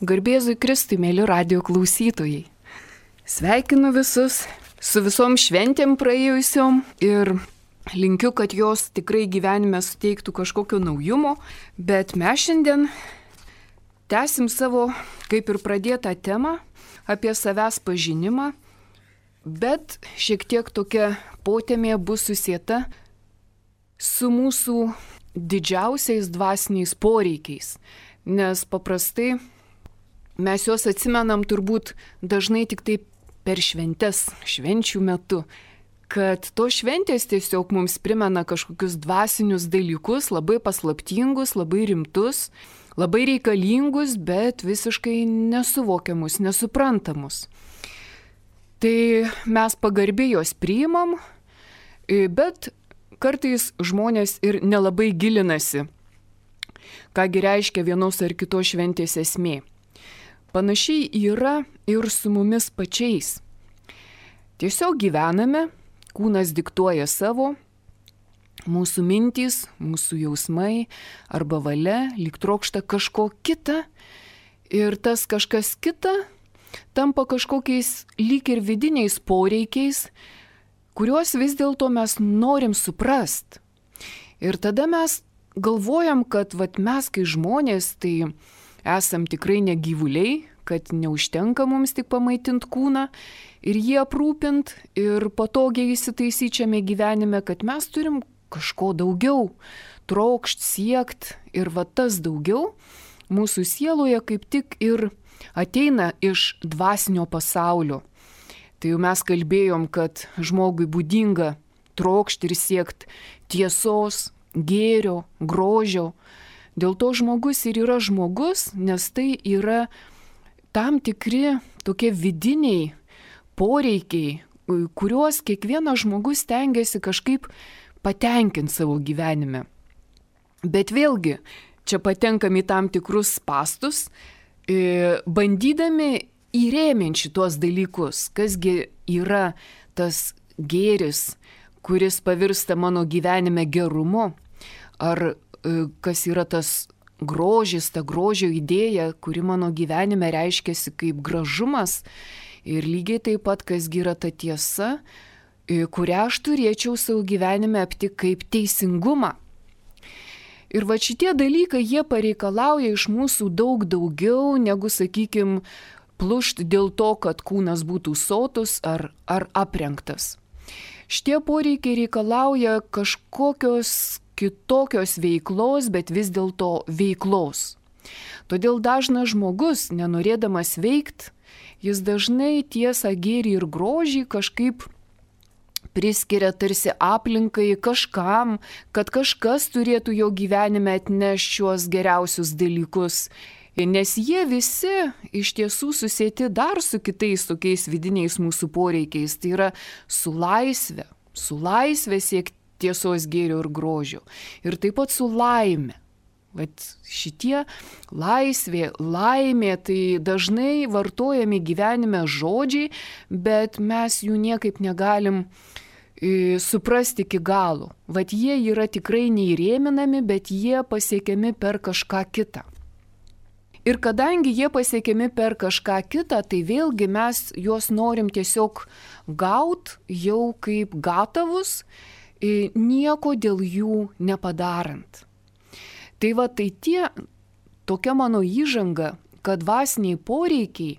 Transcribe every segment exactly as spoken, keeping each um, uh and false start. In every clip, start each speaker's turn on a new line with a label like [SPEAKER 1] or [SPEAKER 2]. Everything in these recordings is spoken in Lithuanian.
[SPEAKER 1] Garbėzui Kristui, mėly radijo klausytojai. Sveikinu visus su visom šventėm praėjusiom ir linkiu, kad jos tikrai gyvenime suteiktų kažkokio naujumo, bet mes šiandien tęsim savo, kaip ir pradėtą temą apie savęs pažinimą, bet šiek tiek tokia potėmė bus susieta su mūsų didžiausiais dvasiniais poreikiais, nes paprastai mes juos atsimenam turbūt dažnai tik taip per šventes, švenčių metu, kad tos šventės tiesiog mums primena kažkokius dvasinius dalykus, labai paslaptingus, labai rimtus, labai reikalingus, bet visiškai nesuvokiamus, nesuprantamus. Tai mes pagarbiai juos priimam, bet kartais žmonės ir nelabai gilinasi, kągi reiškia vienos ar kitos šventės esmė. Panašiai yra ir su mumis pačiais. Tiesiog gyvename, kūnas diktuoja savo, mūsų mintys, mūsų jausmai arba valia lyg trokšta kažko kita ir tas kažkas kita tampa kažkokiais lyg ir vidiniais poreikiais, kuriuos vis dėlto mes norim suprast. Ir tada mes galvojam, kad vat, mes kai žmonės, tai esam tikrai ne gyvuliai, kad neužtenka mums tik pamaitint kūną ir jį aprūpint ir patogiai įsitaisyčiame gyvenime, kad mes turim kažko daugiau, trokšt, siekt ir va tas daugiau mūsų sieloje kaip tik ir ateina iš dvasinio pasaulio. Tai jau mes kalbėjom, kad žmogui būdinga trokšt ir siekt tiesos, gėrio, grožio. Dėl to žmogus ir yra žmogus, nes tai yra tam tikri tokie vidiniai poreikiai, kuriuos kiekvienas žmogus stengiasi kažkaip patenkinti savo gyvenime. Bet vėlgi, čia patenkam į tam tikrus spastus, bandydami įrėminti šitos dalykus, kasgi yra tas gėris, kuris pavirsta mano gyvenime gerumu, ar kas yra tas grožis, ta grožio idėja, kuri mano gyvenime reiškiasi kaip gražumas ir lygiai taip pat, kasgi yra ta tiesa, kurią aš turėčiau savo gyvenime aptikti kaip teisingumą. Ir va šitie dalykai, jie pareikalauja iš mūsų daug daugiau negu, sakykime, plušt dėl to, kad kūnas būtų sotus ar, ar aprengtas. Šitie poreikiai reikalauja kažkokios kitokios veiklos, bet vis dėlto veiklos. Todėl dažnas žmogus, nenorėdamas veikt, jis dažnai tiesą, gėrį ir grožį kažkaip priskiria tarsi aplinkai kažkam, kad kažkas turėtų jo gyvenime atnešti šiuos geriausius dalykus. Nes jie visi iš tiesų susieti dar su kitais tokiais vidiniais mūsų poreikiais. Tai yra su laisve, su laisve siekti tiesos, gėrio ir grožio. Ir taip pat su laime. Vat šitie laisvė, laimė, tai dažnai vartojami gyvenime žodžiai, bet mes jų niekaip negalim e, suprasti iki galo. Vat jie yra tikrai neįrėminami, bet jie pasiekiami per kažką kitą. Ir kadangi jie pasiekiami per kažką kitą, tai vėlgi mes juos norim tiesiog gaut jau kaip gatavus, nieko dėl jų nepadarant. Tai va, tai tie, tokia mano įžanga, kad dvasiniai poreikiai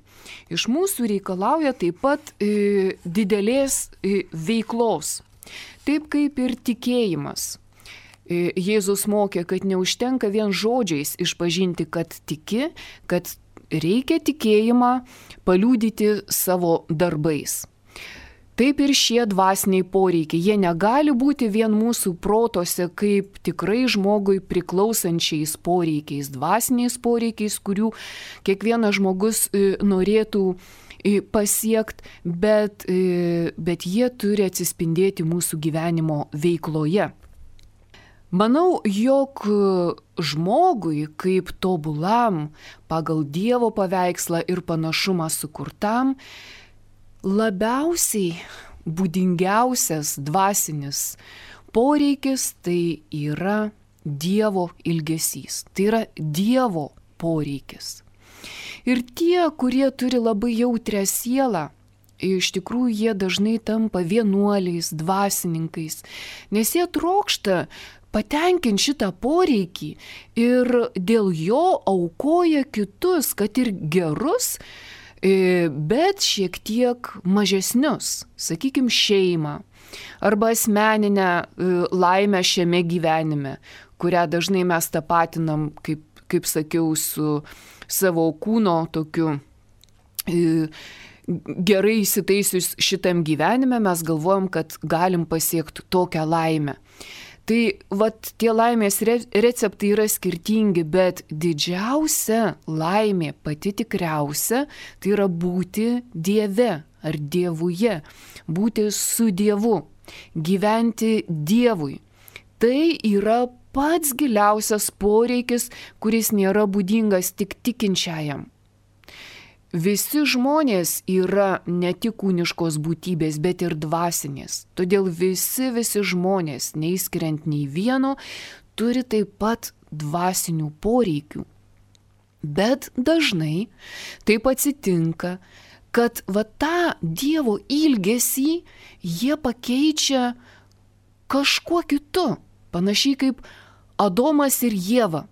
[SPEAKER 1] iš mūsų reikalauja taip pat e, didelės e, veiklos. Taip kaip ir tikėjimas. E, Jėzus mokė, kad neužtenka vien žodžiais išpažinti, kad tiki, kad reikia tikėjimą paliudyti savo darbais. Taip ir šie dvasiniai poreikiai, jie negali būti vien mūsų protose kaip tikrai žmogui priklausančiais poreikiais, dvasiniais poreikiais, kurių kiekvienas žmogus norėtų pasiekti, bet, bet jie turi atsispindėti mūsų gyvenimo veikloje. Manau, jog žmogui kaip tobulam, pagal Dievo paveikslą ir panašumą sukurtam, labiausiai būdingiausias dvasinis poreikis tai yra Dievo ilgesys, tai yra Dievo poreikis. Ir tie, kurie turi labai jautrią sielą, iš tikrųjų jie dažnai tampa vienuoliais, dvasininkais, nes jie trokšta patenkinti šitą poreikį ir dėl jo aukoja kitus, kad ir gerus, bet šiek tiek mažesnius, sakykime, šeimą arba asmeninę laimę šiame gyvenime, kurią dažnai mes tapatinam, kaip, kaip sakiau, su savo kūno tokiu gerai įsitaisius šitam gyvenime, mes galvojam, kad galim pasiekti tokią laimę. Tai vat tie laimės receptai yra skirtingi, bet didžiausia laimė, pati tikriausia, tai yra būti Dieve ar Dievuje, būti su Dievu, gyventi Dievui. Tai yra pats giliausias poreikis, kuris nėra būdingas tik tikinčiajam. Visi žmonės yra ne tik kūniškos būtybės, bet ir dvasinės. Todėl visi, visi žmonės, neįskiriant nei vieno, turi taip pat dvasinių poreikių. Bet dažnai taip atsitinka, kad va tą Dievo ilgesį jie pakeičia kažkuo kitu, panašiai kaip Adomas ir Ieva.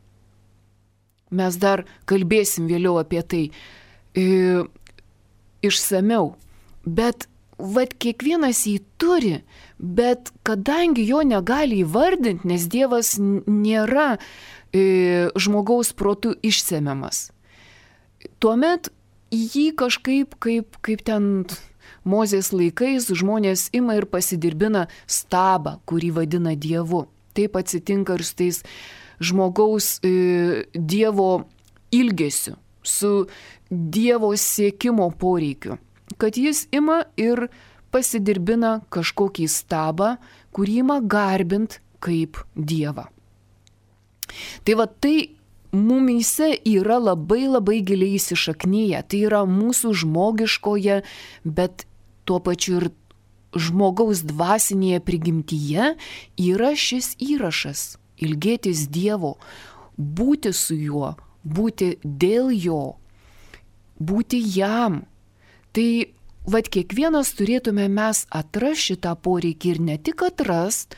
[SPEAKER 1] Mes dar kalbėsim vėliau apie tai išsamiau, bet vat kiekvienas jį turi, bet kadangi jo negali įvardinti, nes Dievas nėra e, žmogaus protu išsemiamas, tuomet jį kažkaip, kaip, kaip ten Mozės laikais, žmonės ima ir pasidirbina stabą, kurį vadina Dievu. Taip atsitinka ir su tais žmogaus e, Dievo ilgesiu, su Dievo siekimo poreikiu, kad jis ima ir pasidirbina kažkokį stabą, kurį ima garbint kaip Dievą. Tai va tai mumyse yra labai labai giliai įsišaknyje, tai yra mūsų žmogiškoje, bet tuo pačiu ir žmogaus dvasinėje prigimtyje yra šis įrašas – ilgėtis Dievo, būti su juo, būti dėl jo, būti jam. Tai vat kiekvienas turėtume mes atrasti šitą poreikį ir ne tik atrast,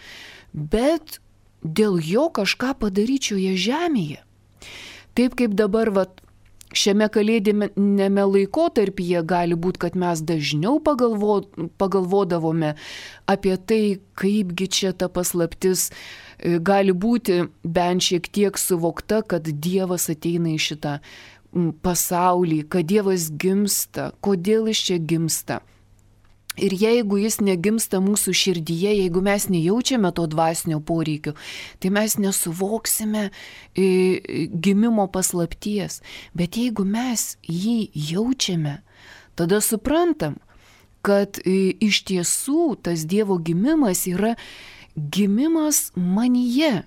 [SPEAKER 1] bet dėl jo kažką padaryti šioje žemėje. Taip kaip dabar vat, šiame kalėdinėme laikotarpyje gali būti, kad mes dažniau pagalvo, pagalvodavome apie tai, kaipgi čia ta paslaptis gali būti bent šiek tiek suvokta, kad Dievas ateina į šitą pasaulį, kad Dievas gimsta, kodėl jis čia gimsta. Ir jeigu jis negimsta mūsų širdyje, jeigu mes nejaučiame to dvasinio poreikio, tai mes nesuvoksime gimimo paslapties. Bet jeigu mes jį jaučiame, tada suprantam, kad iš tiesų tas Dievo gimimas yra gimimas manyje.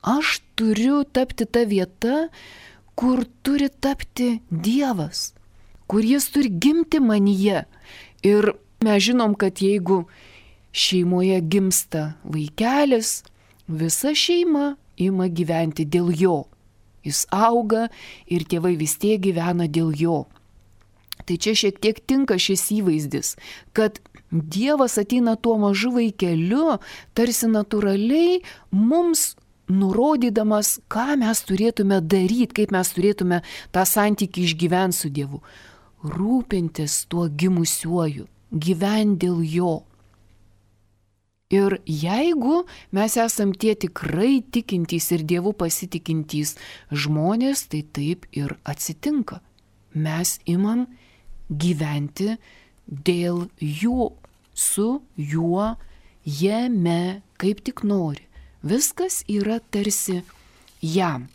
[SPEAKER 1] Aš turiu tapti ta vieta, kur turi tapti Dievas, kur jis turi gimti manyje. Ir mes žinom, kad jeigu šeimoje gimsta vaikelis, visa šeima ima gyventi dėl jo. Jis auga ir tėvai vis tiek gyvena dėl jo. Tai čia šiek tiek tinka šis įvaizdis, kad Dievas ateina tuo mažu vaikeliu, tarsi natūraliai mums nurodydamas, ką mes turėtume daryti, kaip mes turėtume tą santykį išgyventi su Dievu. Rūpintis tuo gimusiuoju, gyventi dėl jo. Ir jeigu mes esam tie tikrai tikintys ir Dievu pasitikintys žmonės, tai taip ir atsitinka. Mes imam gyventi dėl jų, su juo, jame, kaip tik nori. Viskas yra tarsi jam.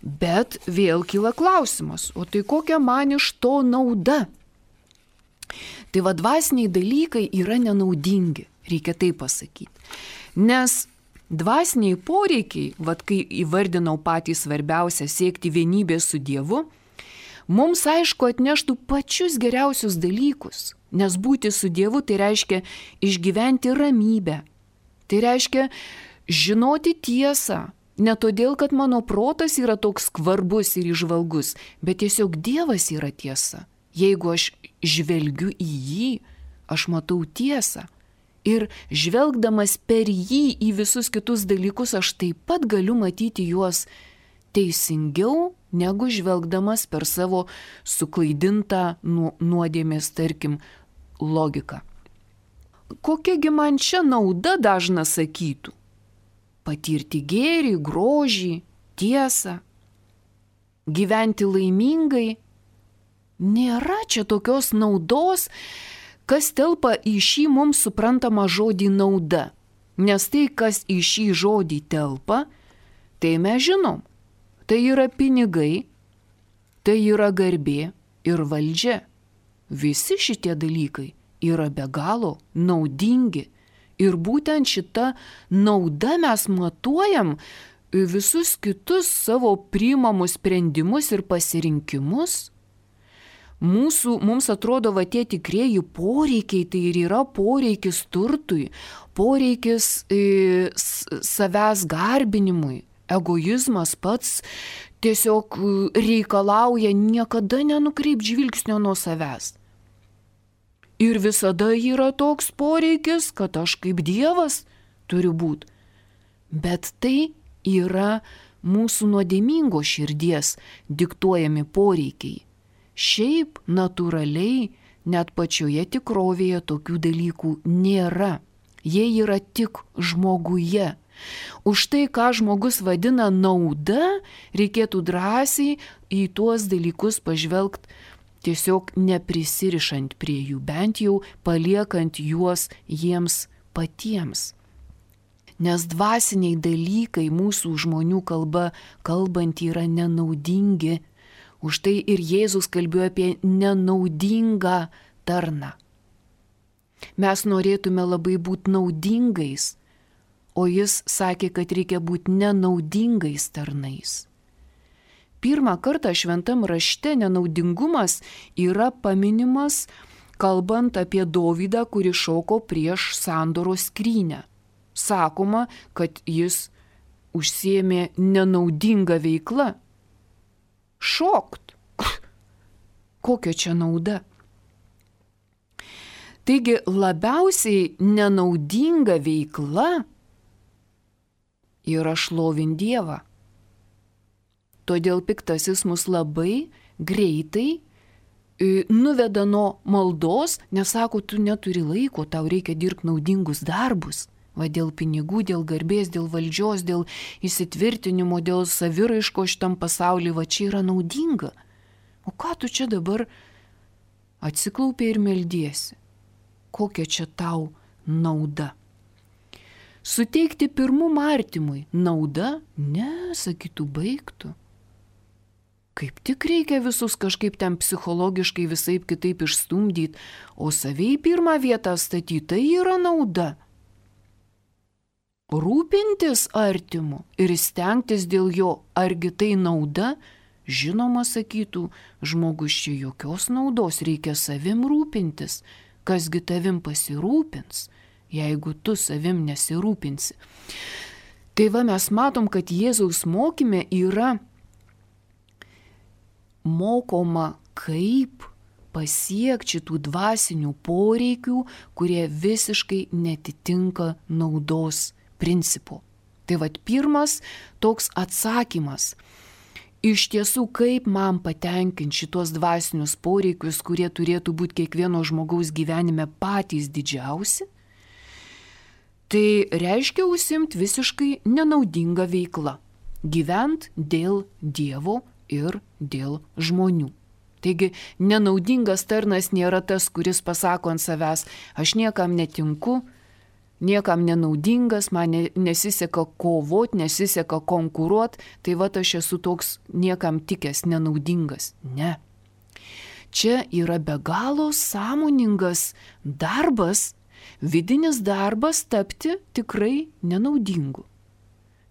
[SPEAKER 1] Bet vėl kyla klausimas, o tai kokia man iš to nauda? Tai va dvasiniai dalykai yra nenaudingi, reikia taip pasakyti. Nes dvasiniai poreikiai, va kai įvardinau patį svarbiausią siekti vienybės su Dievu, mums aišku atneštų pačius geriausius dalykus, nes būti su Dievu tai reiškia išgyventi ramybę, tai reiškia žinoti tiesą, Ne todėl, kad mano protas yra toks skvarbus ir įžvalgus, bet tiesiog Dievas yra tiesa. Jeigu aš žvelgiu į jį, aš matau tiesą. Ir žvelgdamas per jį į visus kitus dalykus, aš taip pat galiu matyti juos teisingiau, negu žvelgdamas per savo suklaidintą nuodėmės, tarkim, logiką. Kokiagi man čia nauda, dažnas sakytų? Patirti gėrį, grožį, tiesą, gyventi laimingai. Nėra čia tokios naudos, kas telpa į šį mums suprantamą žodį nauda. Nes tai, kas į šį žodį telpa, tai mes žinom. Tai yra pinigai, tai yra garbė ir valdžia. Visi šitie dalykai yra be galo naudingi. Ir būtent šitą naudą mes matuojam visus kitus savo priimamus sprendimus ir pasirinkimus. Mūsų, mums atrodo, va tie tikrieji poreikiai, tai ir yra poreikis turtui, poreikis e, savęs garbinimui. Egoizmas pats tiesiog reikalauja niekada nenukreipti žvilgsnio nuo savęs. Ir visada yra toks poreikis, kad aš kaip Dievas turiu būti. Bet tai yra mūsų nuodėmingo širdies diktuojami poreikiai. Šiaip natūraliai net pačioje tikrovėje tokių dalykų nėra. Jie yra tik žmoguje. Už tai, ką žmogus vadina nauda, reikėtų drąsiai į tuos dalykus pažvelgti, tiesiog neprisirišant prie jų, bent jau paliekant juos jiems patiems. Nes dvasiniai dalykai mūsų žmonių kalba kalbant yra nenaudingi. Už tai ir Jėzus kalbėjo apie nenaudingą tarną. Mes norėtume labai būti naudingais, o jis sakė, kad reikia būti nenaudingais tarnais. Pirmą kartą šventam rašte nenaudingumas yra paminimas, kalbant apie Dovydą, kuris šoko prieš sandoros skrynią. Sakoma, kad jis užsiėmė nenaudingą veiklą. Šokt. Kokia čia nauda? Taigi labiausiai nenaudinga veikla yra šlovint Dievą. Todėl piktasis mus labai greitai nuveda nuo maldos, nes sako, tu neturi laiko, tau reikia dirbti naudingus darbus. Va dėl pinigų, dėl garbės, dėl valdžios, dėl įsitvirtinimo, dėl saviraiško šitam pasaulyje, va čia yra naudinga. O ką tu čia dabar atsiklaupė ir meldiesi? Kokia čia tau nauda? Suteikti pirmumą artimui nauda? Ne, sakytų, baigtų. Kaip tik reikia visus kažkaip ten psichologiškai visaip kitaip išstumdyti, o savai pirmą vietą statyti, tai yra nauda. Rūpintis artimu ir stengtis dėl jo, argi tai nauda? Žinoma, sakytų, žmogus čia jokios naudos, reikia savim rūpintis. Kasgi tavim pasirūpins, jeigu tu savim nesirūpinsi. Tai va mes matom, kad Jėzaus mokyme yra mokoma, kaip pasiekti šitų dvasinių poreikių, kurie visiškai netitinka naudos principu. Tai vat pirmas toks atsakymas. Iš tiesų, kaip man patenkinti šitos dvasinius poreikius, kurie turėtų būti kiekvieno žmogaus gyvenime patys didžiausi, tai reiškia užsimti visiškai nenaudingą veiklą. Gyvent dėl Dievo ir dėl žmonių. Taigi, nenaudingas tarnas nėra tas, kuris pasako ant savęs, aš niekam netinku, niekam nenaudingas, man nesiseka kovot, nesiseka konkuruot, tai va aš esu toks niekam tikęs, nenaudingas. Ne. Čia yra be galo sąmoningas darbas, vidinis darbas tapti tikrai nenaudingu.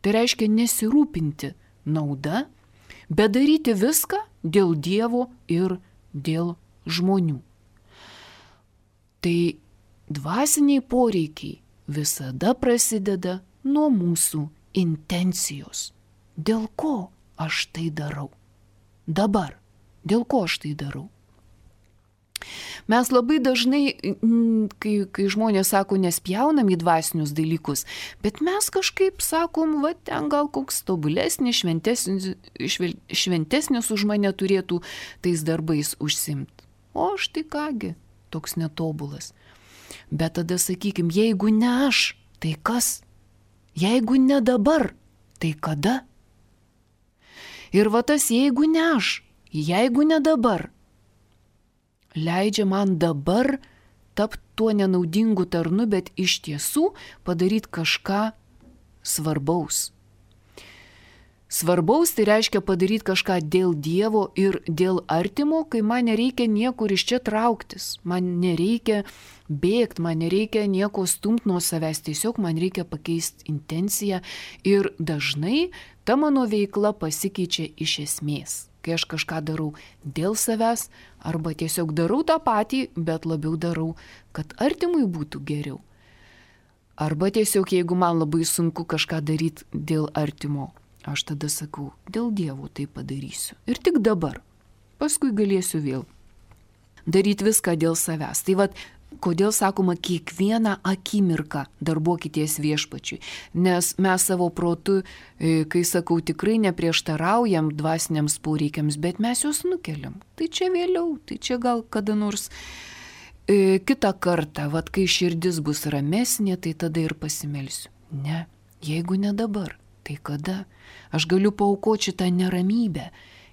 [SPEAKER 1] Tai reiškia nesirūpinti nauda, bet daryti viską dėl Dievo ir dėl žmonių. Tai dvasiniai poreikiai visada prasideda nuo mūsų intencijos. dėl ko aš tai darau. Dabar, dėl ko aš tai darau. Mes labai dažnai, kai, kai žmonės sako, nespjaunam į dvasinius dalykus, bet mes kažkaip sakom, va, ten gal koks tobulesnis, šventesnis, šventesnis už mane turėtų tais darbais užsimti. O aš tai kągi, toks netobulas. Bet tada sakykim, jeigu ne aš, tai kas? Jeigu ne dabar, tai kada? Ir va tas jeigu ne aš, jeigu ne dabar, leidžia man dabar tapti tuo nenaudingu tarnu, bet iš tiesų padaryti kažką svarbaus. Svarbaus tai reiškia padaryti kažką dėl Dievo ir dėl artimo, kai man nereikia niekur iš čia trauktis, man nereikia bėgti, man nereikia nieko stumti nuo savęs, tiesiog man reikia pakeisti intenciją ir dažnai ta mano veikla pasikeičia iš esmės. Kai aš kažką darau dėl savęs arba tiesiog darau tą patį, bet labiau darau, kad artimui būtų geriau. Arba tiesiog jeigu man labai sunku kažką daryti dėl artimo, aš tada sakau, dėl Dievo tai padarysiu. Ir tik dabar. Paskui galėsiu vėl daryti viską dėl savęs. Tai vat, kodėl sakoma, kiekvieną akimirką darbuokitės viešpačiui. Nes mes savo protu, kai sakau, tikrai neprieštaraujam dvasiniams poreikiams, bet mes juos nukeliam. Tai čia vėliau, tai čia gal kada nors e, kitą kartą, vat kai širdis bus ramesnė, tai tada ir pasimelsiu. Ne, jeigu ne dabar, tai kada? Aš galiu paaukoti šitą neramybę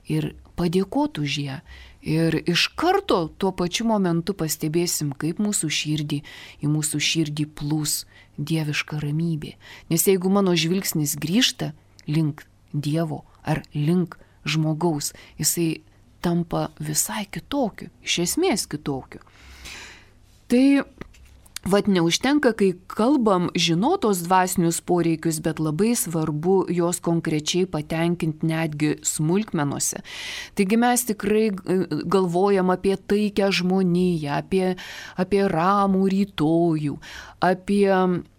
[SPEAKER 1] ir padėkoti už ją. Ir iš karto tuo pačiu momentu pastebėsim, kaip mūsų širdį, į mūsų širdį plūs dieviška ramybė. Nes jeigu mano žvilgsnis grįžta link Dievo ar link žmogaus, jisai tampa visai kitokiu, iš esmės kitokiu. Tai vat neužtenka, kai kalbam žinotos dvasinius poreikius, bet labai svarbu juos konkrečiai patenkinti netgi smulkmenuose. Taigi mes tikrai galvojam apie taikę žmoniją, apie, apie ramų rytojų, apie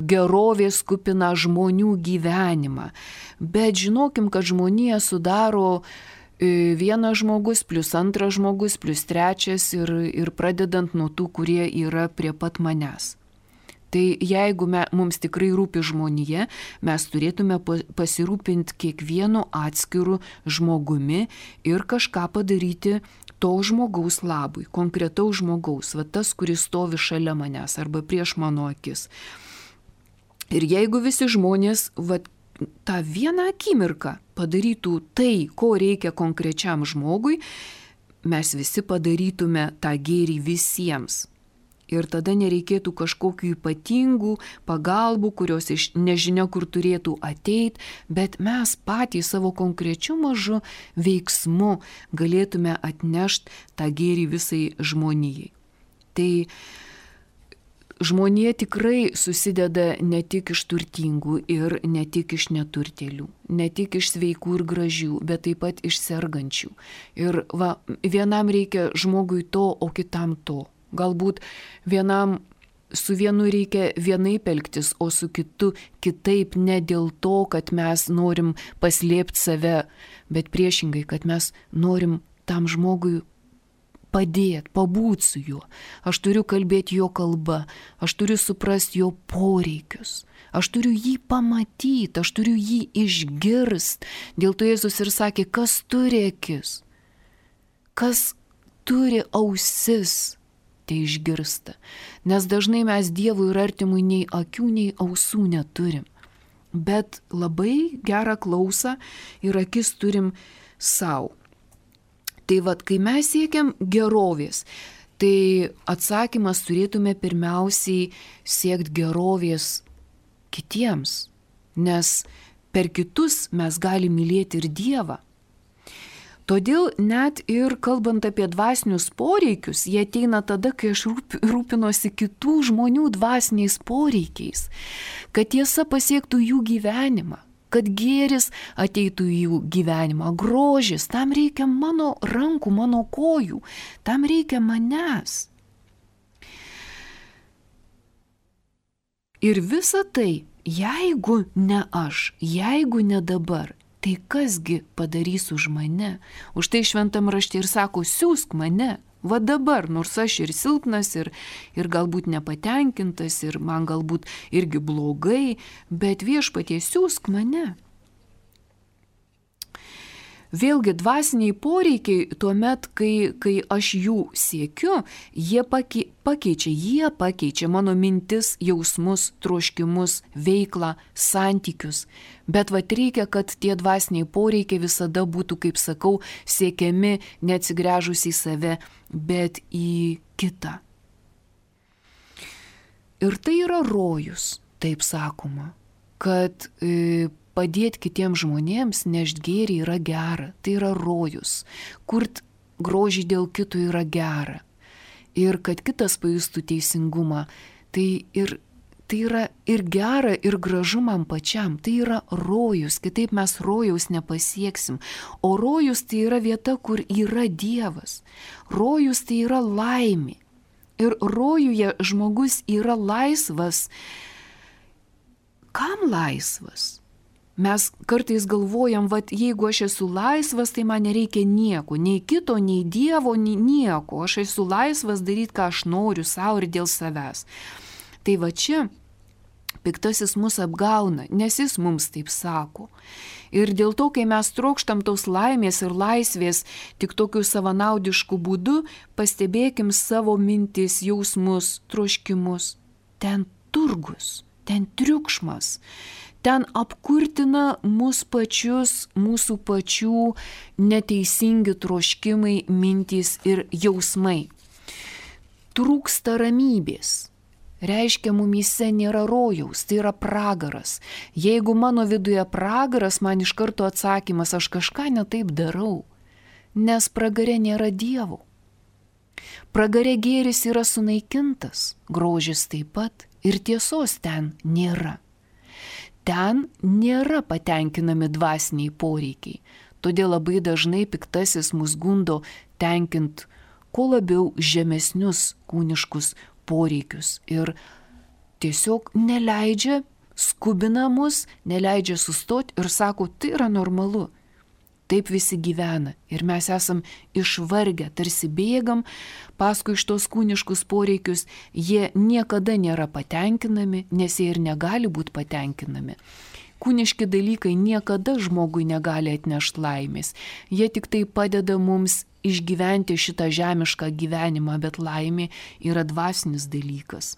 [SPEAKER 1] gerovės kupiną žmonių gyvenimą. Bet žinokim, kad žmonija sudaro vienas žmogus, plus antras žmogus, plus trečias ir, ir pradedant nuo tų, kurie yra prie pat manęs. Tai jeigu me, mums tikrai rūpi žmonija, mes turėtume pasirūpinti kiekvienu atskiru žmogumi ir kažką padaryti to žmogaus labui, konkretaus žmogaus, va tas, kuris stovi šalia manęs arba prieš mano akis. Ir jeigu visi žmonės va, tą vieną akimirką padarytų tai, ko reikia konkrečiam žmogui, mes visi padarytume tą gėrį visiems. Ir tada nereikėtų kažkokių ypatingų pagalbų, kurios iš nežinia kur turėtų ateiti, bet mes patys savo konkrečiu mažu veiksmu galėtume atnešti tą gėrį visai žmonijai. Tai žmonija tikrai susideda ne tik iš turtingų ir ne tik iš neturtėlių, ne tik iš sveikų ir gražių, bet taip pat iš sergančių. Ir va, vienam reikia žmogui to, o kitam to. Galbūt vienam su vienu reikia vienaip elgtis, o su kitu kitaip, ne dėl to, kad mes norim paslėpti save, bet priešingai, kad mes norim tam žmogui padėti, pabūti su juo. Aš turiu kalbėti jo kalba, aš turiu suprasti jo poreikius, aš turiu jį pamatyti, aš turiu jį išgirsti. Dėl to Jėzus ir sakė, kas turi akis, kas turi ausis, tai išgirsta. Nes dažnai mes Dievui ir artimui nei akių, nei ausų neturim. Bet labai gerą klausą ir akis turim savo. Tai vad, kai mes siekiam gerovės, tai atsakymas turėtume pirmiausiai siekti gerovės kitiems. Nes per kitus mes galime mylėti ir Dievą. Todėl net ir kalbant apie dvasinius poreikius, jie ateina tada, kai aš rūpinosi kitų žmonių dvasiniais poreikiais, kad tiesa pasiektų jų gyvenimą, kad gėris ateitų į jų gyvenimą, grožis, tam reikia mano rankų, mano kojų, tam reikia manęs. Ir visa tai, jeigu ne aš, jeigu ne dabar, tai kasgi padarys už mane? Už tai šventam rašte ir sako, siųsk mane. Va dabar, nors aš ir silpnas, ir, ir galbūt nepatenkintas, ir man galbūt irgi blogai, bet Viešpatie, siųsk mane. Vėlgi dvasiniai poreikiai tuomet, kai, kai aš jų siekiu, jie pakei, pakeičia, jie pakeičia mano mintis, jausmus, troškimus, veiklą, santykius. Bet vat reikia, kad tie dvasiniai poreikiai visada būtų, kaip sakau, siekiami neatsigręžus į save, bet į kitą. Ir tai yra rojus, taip sakoma, kad e, padėti kitiems žmonėms nešti gėrį yra gera, tai yra rojus, kurt grožį dėl kito yra gera. Ir kad kitas pajustų teisingumą, tai, ir, tai yra ir gera, ir gražu man pačiam, tai yra rojus, kitaip mes rojaus nepasieksim. O rojus tai yra vieta, kur yra Dievas. Rojus tai yra laimė. Ir rojuje žmogus yra laisvas. Kam laisvas? Mes kartais galvojam, vat jeigu aš esu laisvas, tai man nereikia nieko, nei kito, nei Dievo, nei nieko. Aš esu laisvas daryti, ką aš noriu, savo ir dėl savęs. Tai va čia piktasis mus apgauna, nes jis mums taip sako. Ir dėl to, kai mes trokštam tos laimės ir laisvės tik tokiu savanaudišku būdu, pastebėkim savo mintis, jausmus, troškimus. Ten turgus, ten triukšmas. Ten apkurtina mus pačius, mūsų pačių neteisingi troškimai, mintys ir jausmai. Trūksta ramybės. Reiškia, mumyse nėra rojaus, tai yra pragaras. Jeigu mano viduje pragaras, man iš karto atsakymas, aš kažką netaip darau, nes pragare nėra Dievo. Pragare gėris yra sunaikintas, grožis taip pat ir tiesos ten nėra. Ten nėra patenkinami dvasiniai poreikiai, todėl labai dažnai piktasis mus gundo tenkint kuo labiau žemesnius kūniškus poreikius ir tiesiog neleidžia, skubina mus, neleidžia sustoti ir sako, tai yra normalu. Taip visi gyvena ir mes esam išvargę, tarsi bėgam paskui iš tos kūniškus poreikius, jie niekada nėra patenkinami, nes jie ir negali būti patenkinami. Kūniški dalykai niekada žmogui negali atnešti laimės, jie tik tai padeda mums išgyventi šitą žemišką gyvenimą, bet laimė yra dvasinis dalykas.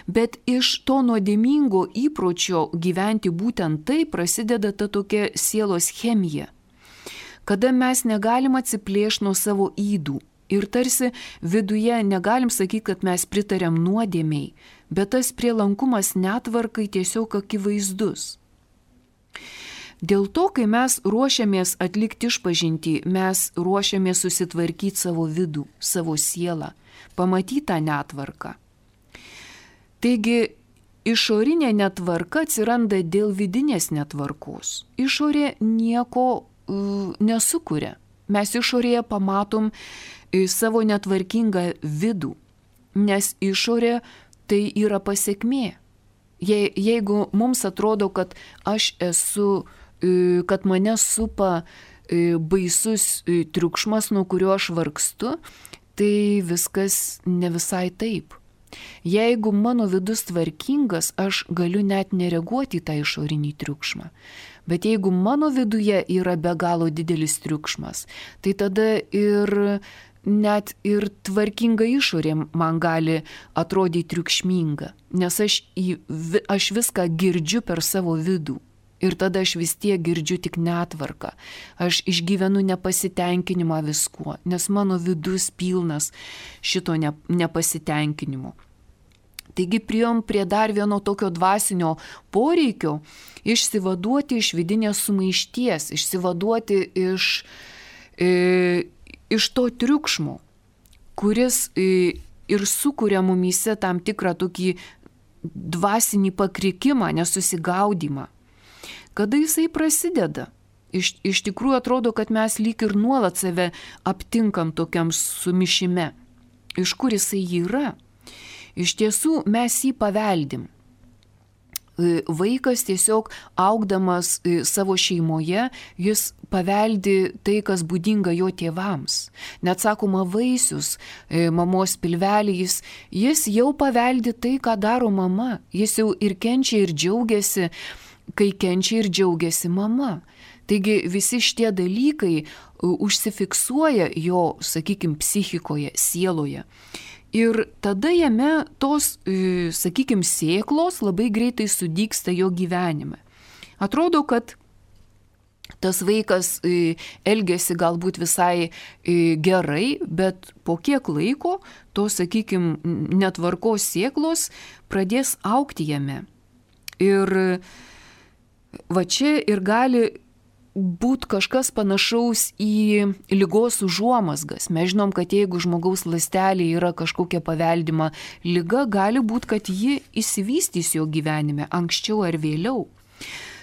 [SPEAKER 1] Bet iš to nuodėmingo įpročio gyventi būtent tai prasideda ta tokia sielos chemija, kada mes negalim atsiplėšti nuo savo ydų ir tarsi viduje negalim sakyti, kad mes pritariam nuodėmiai, bet tas prielankumas netvarkai tiesiog akivaizdus. Dėl to, kai mes ruošiamės atlikti išpažintį, mes ruošiamės susitvarkyti savo vidų, savo sielą, pamatyti tą netvarką. Taigi, išorinė netvarka atsiranda dėl vidinės netvarkos. Išorė nieko uh, nesukuria. Mes išorėje pamatom uh, savo netvarkingą vidų, nes išorė tai yra pasekmė. Je, jeigu mums atrodo, kad aš esu, uh, kad mane supa uh, baisus uh, triukšmas, nuo kurio aš vargstu, tai viskas ne visai taip. Jeigu mano vidus tvarkingas, aš galiu net nereaguoti į tą išorinį triukšmą. Bet jeigu mano viduje yra be galo didelis triukšmas, tai tada ir net ir tvarkinga išorė man gali atrodyti triukšminga, nes aš, į, aš viską girdžiu per savo vidų. Ir tada aš vis tiek girdžiu tik netvarką. Aš išgyvenu nepasitenkinimą viskuo, nes mano vidus pilnas šito ne, nepasitenkinimo. Taigi priėjom prie dar vieno tokio dvasinio poreikio išsivaduoti iš vidinės sumaišties, išsivaduoti iš, e, iš to triukšmo, kuris e, ir sukuria mumyse tam tikrą tokį dvasinį pakrikimą, nesusigaudimą. Kada jisai prasideda? Iš, iš tikrųjų atrodo, kad mes lyg ir nuolat save aptinkam tokiam sumišime. Iš kur jisai yra? Iš tiesų mes jį paveldim. Vaikas tiesiog augdamas savo šeimoje, jis paveldi tai, kas būdinga jo tėvams. Net sakoma, vaisius mamos pilvelį, jis, jis jau paveldi tai, ką daro mama. Jis jau ir kenčia, ir džiaugiasi, kai kenčia ir džiaugiasi mama. Taigi visi šitie dalykai užsifiksuoja jo, sakykime, psichikoje, sieloje. Ir tada jame tos, sakykime, sėklos labai greitai sudygsta jo gyvenime. Atrodo, kad tas vaikas elgėsi galbūt visai gerai, bet po kiek laiko tos, sakykime, netvarkos sėklos pradės augti jame. Ir va čia ir gali būti kažkas panašaus į ligos užuomazgas. Mes žinom, kad jeigu žmogaus ląstelė yra kažkokia paveldima liga, gali būti, kad ji išsivystys jo gyvenime anksčiau ar vėliau.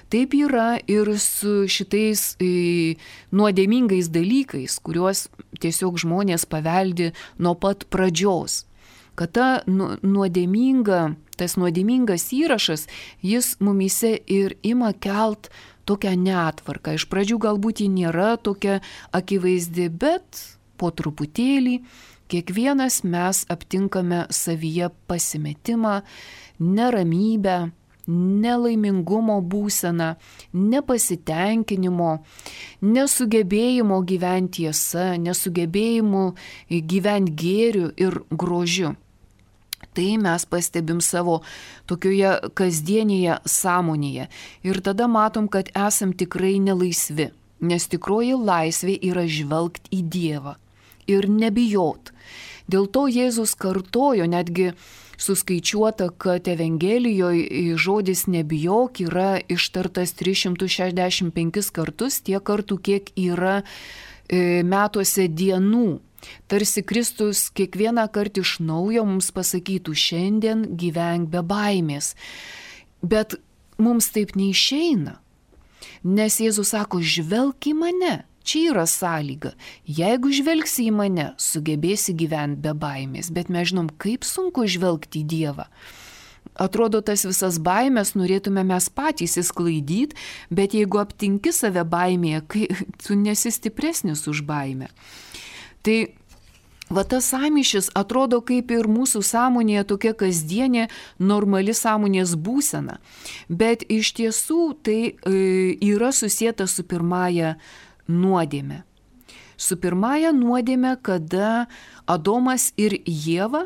[SPEAKER 1] Taip yra ir su šitais e, nuodėmingais dalykais, kuriuos tiesiog žmonės paveldi nuo pat pradžios. Kad ta nu, nuodėminga, tas nuodėmingas įrašas, jis mumyse ir ima kelt tokią netvarką. Iš pradžių galbūt ji nėra tokia akivaizdi, bet po truputėlį kiekvienas mes aptinkame savyje pasimetimą, neramybę, nelaimingumo būseną, nepasitenkinimo, nesugebėjimo gyventi tiesa, nesugebėjimo gyventi gėriu ir grožiu. Tai mes pastebim savo tokioje kasdienėje sąmonėje. Ir tada matom, kad esam tikrai nelaisvi, nes tikroji laisvė yra žvelgti į Dievą ir nebijot. Dėl to Jėzus kartojo, netgi suskaičiuota, kad Evangelijoje žodis nebijok yra ištartas tris šimtus šešiasdešimt penkis kartus, tiek kartų, kiek yra metuose dienų. Tarsi Kristus kiekvieną kartą iš naujo mums pasakytų, šiandien gyvenk be baimės. Bet mums taip neišeina, nes Jėzus sako, žvelk į mane, čia yra sąlyga. Jeigu žvelgsi į mane, sugebėsi gyventi be baimės, bet mes žinom, kaip sunku žvelgti į Dievą. Atrodo, tas visas baimės norėtume mes patys įsklaidyti, bet jeigu aptinki save baimėje, kai tu nesi stipresnis už baimę. Tai va tas sąmyšis atrodo kaip ir mūsų sąmonėje tokia kasdienė normali sąmonės būsena, bet iš tiesų tai e, yra susieta su pirmąja nuodėme. Su pirmąja nuodėme, kada Adomas ir Ieva,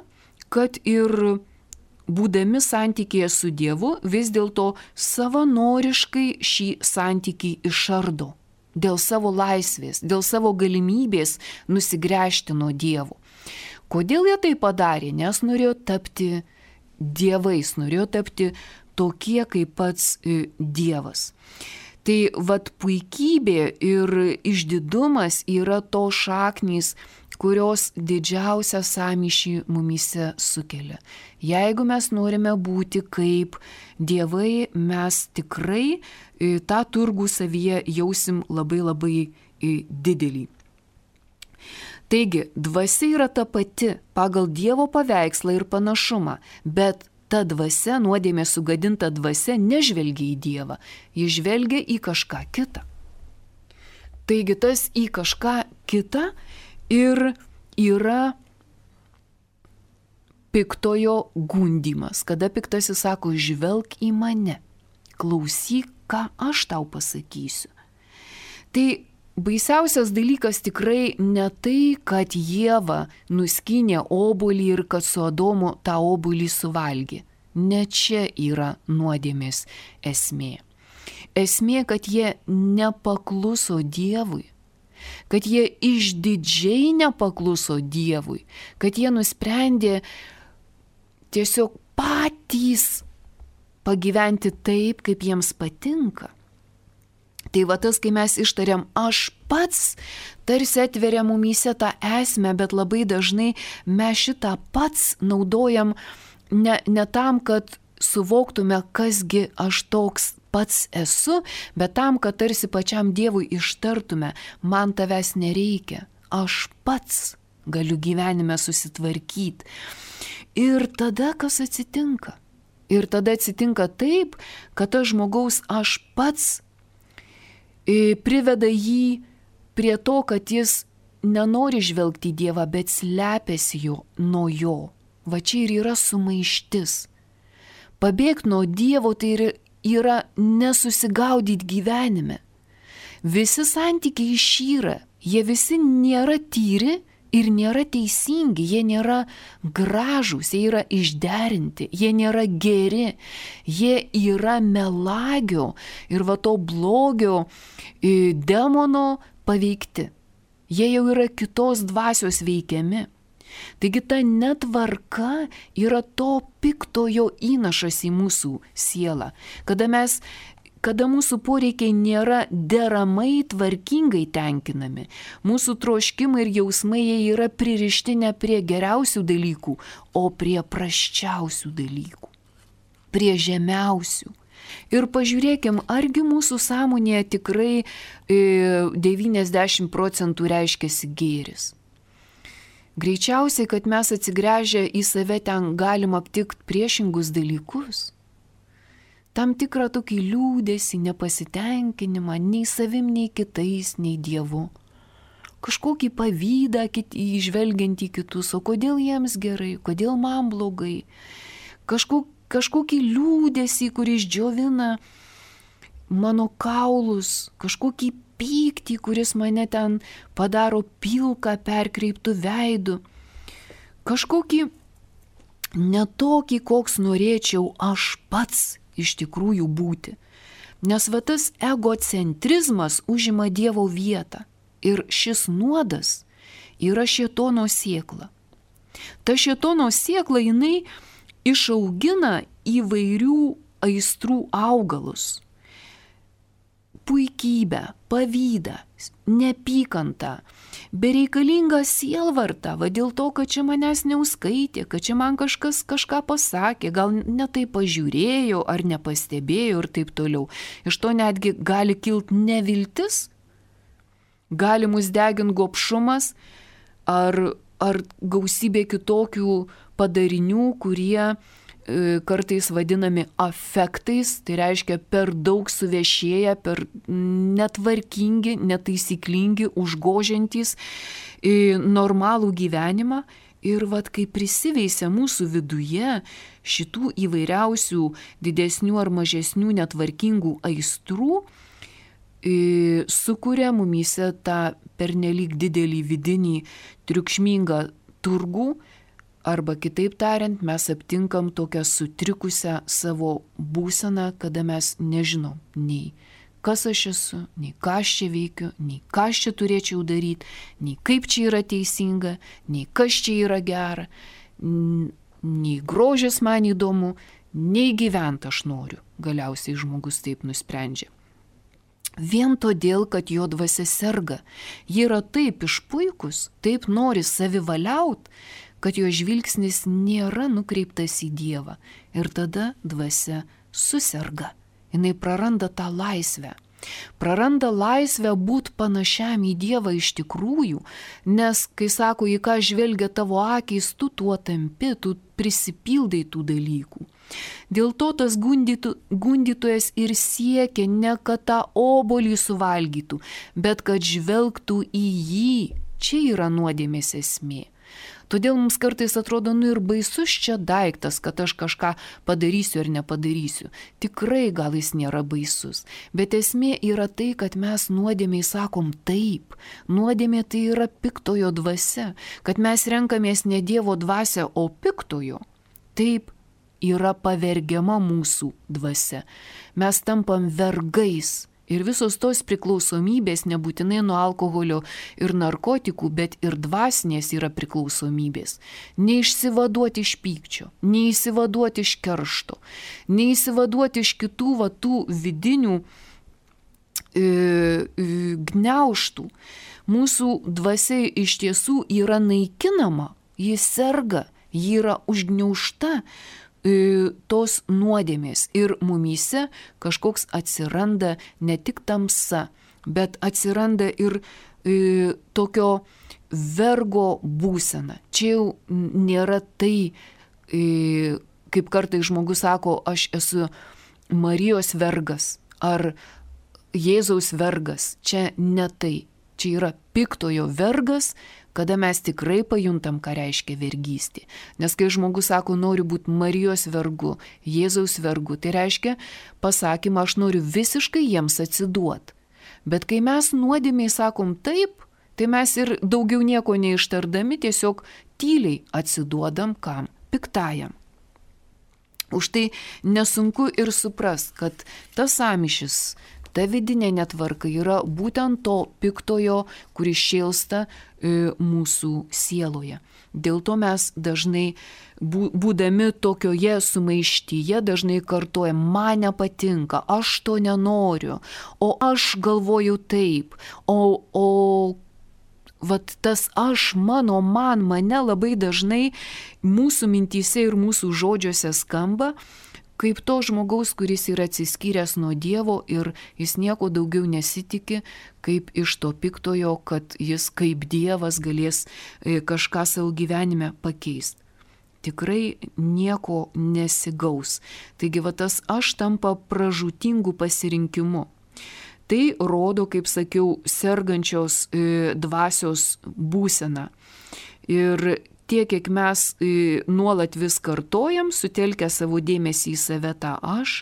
[SPEAKER 1] kad ir būdami santykėje su Dievu, vis dėlto savanoriškai šį santykį išardo. Dėl savo laisvės, dėl savo galimybės nusigręžti nuo Dievo. Kodėl jie tai padarė? Nes norėjo tapti dievais, norėjo tapti tokie kaip pats Dievas. Tai vat puikybė ir išdidumas yra to šaknys, kurios didžiausią sąmyšį mumyse sukelia. Jeigu mes norime būti kaip dievai, mes tikrai tą turgų savyje jausim labai labai didelį. Taigi, dvasia yra ta pati pagal Dievo paveikslą ir panašumą, bet ta dvasia, nuodėmė sugadinta dvasia, nežvelgia į Dievą, ji žvelgia į kažką kitą. Taigi tas į kažką kitą ir yra piktojo gundymas, kada piktasis sako, žvelk į mane, klausyk, ką aš tau pasakysiu. Tai baisiausias dalykas tikrai ne tai, kad Ieva nuskynė obuolį ir kad su Adomu tą obuolį suvalgė. Ne čia yra nuodėmės esmė. Esmė, kad jie nepakluso Dievui, kad jie išdidžiai nepakluso Dievui, kad jie nusprendė tiesiog patys pagyventi taip, kaip jiems patinka. Tai va tas, kai mes ištariam aš pats, tarsi atveria mumyse tą esmę, bet labai dažnai mes šitą pats naudojam ne, ne tam, kad suvoktume, kasgi aš toks pats esu, bet tam, kad tarsi pačiam Dievui ištartume, man tavęs nereikia, aš pats galiu gyvenime susitvarkyti. Ir tada kas atsitinka? Ir tada atsitinka taip, kad tas žmogaus aš pats priveda jį prie to, kad jis nenori žvelgti į Dievą, bet slepiasi jo nuo jo. Va čia ir yra sumaištis. Pabėgti nuo Dievo tai yra nesusigaudyti gyvenime. Visi santykiai išyra, jie visi nėra tyri ir nėra teisingi, jie nėra gražūs, jie yra išderinti, jie nėra geri, jie yra melagio ir va to blogio demono paveikti. Jie jau yra kitos dvasios veikiami. Taigi ta netvarka yra to piktojo įnašas į mūsų sielą, kada mes kada mūsų poreikiai nėra deramai tvarkingai tenkinami, mūsų troškimai ir jausmai jie yra pririšti ne prie geriausių dalykų, o prie prasčiausių dalykų, prie žemiausių. Ir pažiūrėkim, argi mūsų sąmonėje tikrai e, devyniasdešimt procentų reiškiasi gėris. Greičiausiai, kad mes atsigręžę į save ten galim aptikti priešingus dalykus. Tam tikrą tokį liūdesį, nepasitenkinimą, nei savim, nei kitais, nei Dievu. Kažkokį pavydą įžvelgiant į kitus, o kodėl jiems gerai, kodėl man blogai. Kažko, kažkokį liūdesį, kuris džiovina mano kaulus, kažkokį pyktį, kuris mane ten padaro pilką perkreiptų veidų. Kažkokį netokį, koks norėčiau aš pats iš tikrųjų būti. Nes va tas egocentrizmas užima Dievo vietą ir šis nuodas yra šėtono sėkla. Ta šėtono sėkla jinai išaugina įvairių aistrų augalus. Puikybę, pavydą, neapykantą, bereikalingą sielvartą, va dėl to, kad čia manęs neuskaitė, kad čia man kažkas kažką pasakė, gal ne taip pažiūrėjo ar nepastebėjo ir taip toliau. Iš to netgi gali kilti neviltis, gali mus deginti gobšumas ar, ar gausybė kitokių padarinių, kurie kartais vadinami afektais, tai reiškia per daug suvešėję, per netvarkingi, netaisyklingi, užgožiantys normalų gyvenimą. Ir vat kai prisiveisia mūsų viduje šitų įvairiausių didesnių ar mažesnių netvarkingų aistrų, sukuria mumyse tą pernelyg didelį vidinį triukšmingą turgų. Arba kitaip tariant, mes aptinkam tokią sutrikusią savo būseną, kada mes nežinom nei kas aš esu, nei ką aš čia veikiu, nei ką aš čia turėčiau daryti, nei kaip čia yra teisinga, nei kas čia yra gera, nei grožis man įdomu, nei gyventi aš noriu. Galiausiai žmogus taip nusprendžia. Vien todėl, kad jo dvasia serga. Ji yra taip išpuikus, taip nori savivaliaut, kad jo žvilgsnis nėra nukreiptas į Dievą. Ir tada dvasia suserga. Jinai praranda tą laisvę. Praranda laisvę būti panašiam į Dievą iš tikrųjų, nes, kai sako, į ką žvelgia tavo akys, tu tuo tampi, tu prisipildai tų dalykų. Dėl to tas gundytų, gundytojas ir siekia ne kad tą obuolį suvalgytų, bet kad žvelgtų į jį. Čia yra nuodėmės esmė. Todėl mums kartais atrodo, nu ir baisus čia daiktas, kad aš kažką padarysiu ar nepadarysiu. Tikrai gal jis nėra baisus, bet esmė yra tai, kad mes nuodėmiai sakom taip. Nuodėmė tai yra piktojo dvasia, kad mes renkamės ne Dievo dvasią, o piktojo. Taip yra pavergiama mūsų dvasia. Mes tampam vergais. Ir visos tos priklausomybės nebūtinai nuo alkoholio ir narkotikų, bet ir dvasinės yra priklausomybės. Neišsivaduoti iš pykčio, neįsivaduoti iš keršto, neįsivaduoti iš kitų va, tų vidinių e, gniaužtų. Mūsų dvasia iš tiesų yra naikinama, ji serga, ji yra užgniaužta tos nuodėmės ir mumyse kažkoks atsiranda ne tik tamsa, bet atsiranda ir e, tokio vergo būsena. Čia jau nėra tai, e, kaip kartai žmogus sako, aš esu Marijos vergas ar Jėzaus vergas. Čia ne tai. Čia yra piktojo vergas, kada mes tikrai pajuntam, ką reiškia vergystė. Nes kai žmogus sako, noriu būti Marijos vergu, Jėzaus vergu, tai reiškia pasakymą, aš noriu visiškai jiems atsiduoti. Bet kai mes nuodėmiai sakom taip, tai mes ir daugiau nieko neištardami tiesiog tyliai atsiduodam kam? Piktajam. Už tai nesunku ir suprast, kad tas sąmyšis, ta vidinė netvarka yra būtent to piktojo, kuris šėlsta e, mūsų sieloje. Dėl to mes dažnai, būdami tokioje sumaištyje, dažnai kartuojam, man nepatinka, aš to nenoriu, o aš galvoju taip, o, o vat tas aš, mano, man, mane labai dažnai mūsų mintyse ir mūsų žodžiuose skamba, kaip to žmogaus, kuris yra atsiskyręs nuo Dievo ir jis nieko daugiau nesitiki, kaip iš to piktojo, kad jis kaip Dievas galės kažką savo gyvenime pakeisti. Tikrai nieko nesigaus. Taigi va tas aš tampa pražūtingų pasirinkimų. Tai rodo, kaip sakiau, sergančios e, dvasios būseną. Ir tiek, kiek mes e, nuolat vis kartojam, sutelkę savo dėmesį į save tą aš,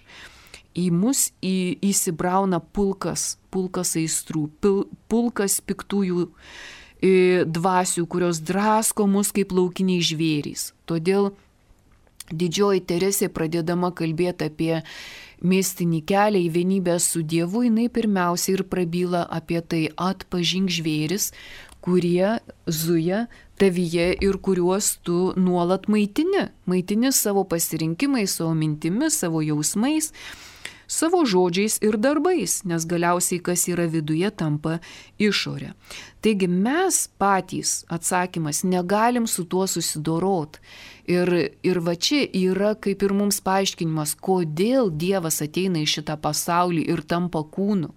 [SPEAKER 1] į mus į, įsibrauna pulkas, pulkas aistrų, pil, pulkas piktųjų e, dvasių, kurios drasko mus kaip laukiniai žvėrys. Todėl didžioji Teresė, pradėdama kalbėti apie mistinį kelią į vienybę su Dievu, jinai pirmiausia ir prabyla apie tai, atpažink žvėris, kurie zuja tavyje ir kuriuos tu nuolat maitini. Maitini savo pasirinkimais, savo mintimis, savo jausmais, savo žodžiais ir darbais, nes galiausiai kas yra viduje tampa išorė. Taigi mes patys, atsakymas, negalim su tuo susidorot. Ir, ir va čia yra kaip ir mums paaiškinimas, kodėl Dievas ateina į šitą pasaulį ir tampa kūnu,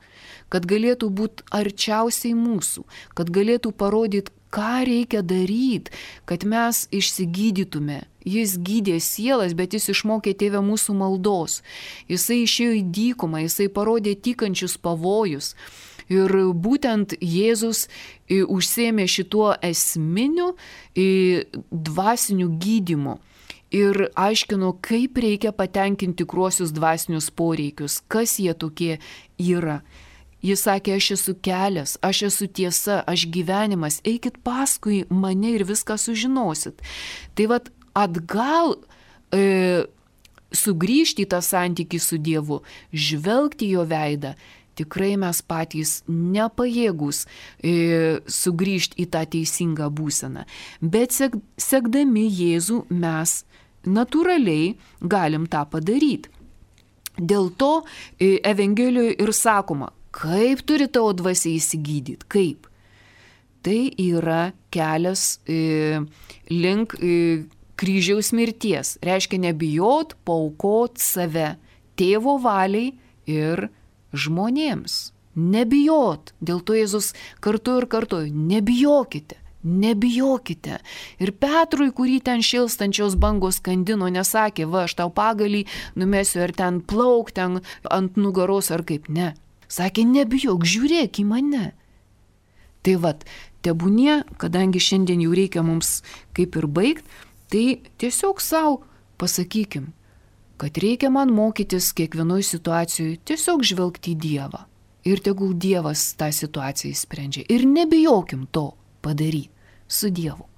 [SPEAKER 1] kad galėtų būti arčiausiai mūsų, kad galėtų parodyti, ką reikia daryti, kad mes išsigydytume. Jis gydė sielas, bet jis išmokė tėvę mūsų maldos. Jisai išėjo į dykumą, jisai parodė tykančius pavojus. Ir būtent Jėzus užsėmė šituo esminiu dvasiniu gydymu. Ir aiškino, kaip reikia patenkinti tikruosius dvasinius poreikius, kas jie tokie yra. Jis sakė, aš esu kelias, aš esu tiesa, aš gyvenimas, eikit paskui mane ir viską sužinosit. Tai vat atgal e, sugrįžti į tą santykį su Dievu, žvelgti jo veidą, tikrai mes patys nepajėgus e, sugrįžti į tą teisingą būseną. Bet sek, sekdami Jėzų mes natūraliai galim tą padaryti. Dėl to e, Evangelijoje ir sakoma, kaip turi tavo dvasia įsigydyti, kaip? Tai yra kelias e, link e, kryžiaus mirties. Reiškia nebijot, paaukot save tėvo valiai ir žmonėms. Nebijot. Dėl to Jėzus kartu ir kartu, nebijokite, nebijokite. Ir Petrui, kurį ten šilstančios bangos skandino, nesakė, va, aš tau pagalį numesiu ar ten plauk, ten ant nugaros ar kaip, ne. Sakė, nebijok, žiūrėk į mane. Tai vat, tebūnie, kadangi šiandien jau reikia mums kaip ir baigt, tai tiesiog savo pasakykim, kad reikia man mokytis kiekvienoj situacijoje tiesiog žvelgti į Dievą. Ir tegul Dievas tą situaciją sprendžia. Ir nebijokim to padaryti su Dievu.